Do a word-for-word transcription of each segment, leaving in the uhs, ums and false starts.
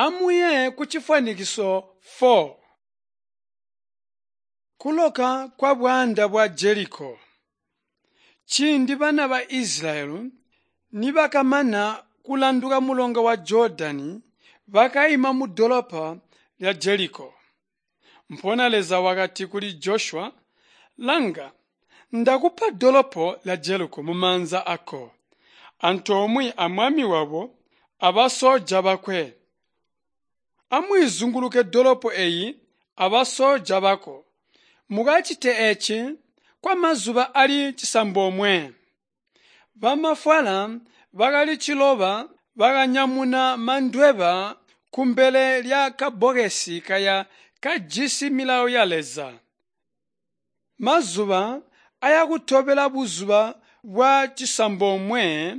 Amuye kucifwanikiso four. Kuloka kwa bwaanda bwa Jeriko. Ciindi bana ba Israyeli nibakamana kulanduka mulonga wa Jordani, bakaima mudolopo lya Jeriko. Mpoonya Leza wakati kuli Joshua, Langa, ndakupa dolopo lya Jeriko mumaanza ako, antoomwe amwami wabo abasoja bakwe. Amwiizunguluke dolopo eyi abasoja bako. Mukacite eeci kwamazuba ali cisambomwe. Bamafwala bakali ciloba bakanyamuna mandweba kumbele lya kabbokesi kaya kajisi milawo ya Leza. Mazuba ayakutobela buzuba bwa cisambomwe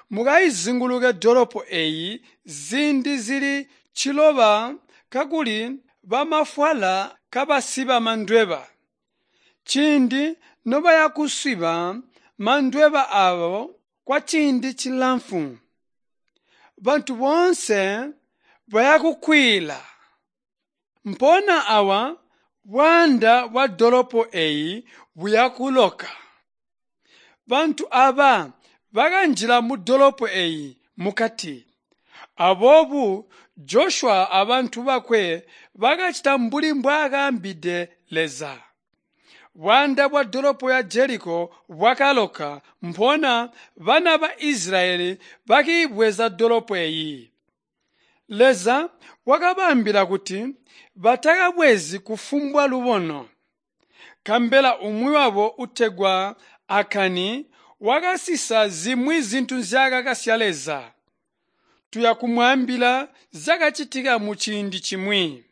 mukaizunguluke dolopo eyi ziindi zili ciloba kakuli bamafwala kabasiba mandweba. Ciindi nobayakusiba mandweba aabo kwaciindi cilamfu, bantu boonse bayakukwiila. Mpoonya awa bwaanda bwa dolopo eyi buyakuloka. Bantu aaba bakanjila mudolopo eyi mukati. Aboobo Joshua abantu bakwe bakacita mbuli mbwaakaambide Leza. Bwaanda bwa dolopo ya Jeriko bwakaloka, mpoonya bana ba Israyeli bakiibweza dolopo eyi. Leza wakabaambila kuti batakabwezi kufumbwa lubono. Kambela umwi wabo utegwa Akani wakasisa zimwi zintu nzyaakakasya Leza. Tuya kumwaambila zyakacitika muciindi cimwi.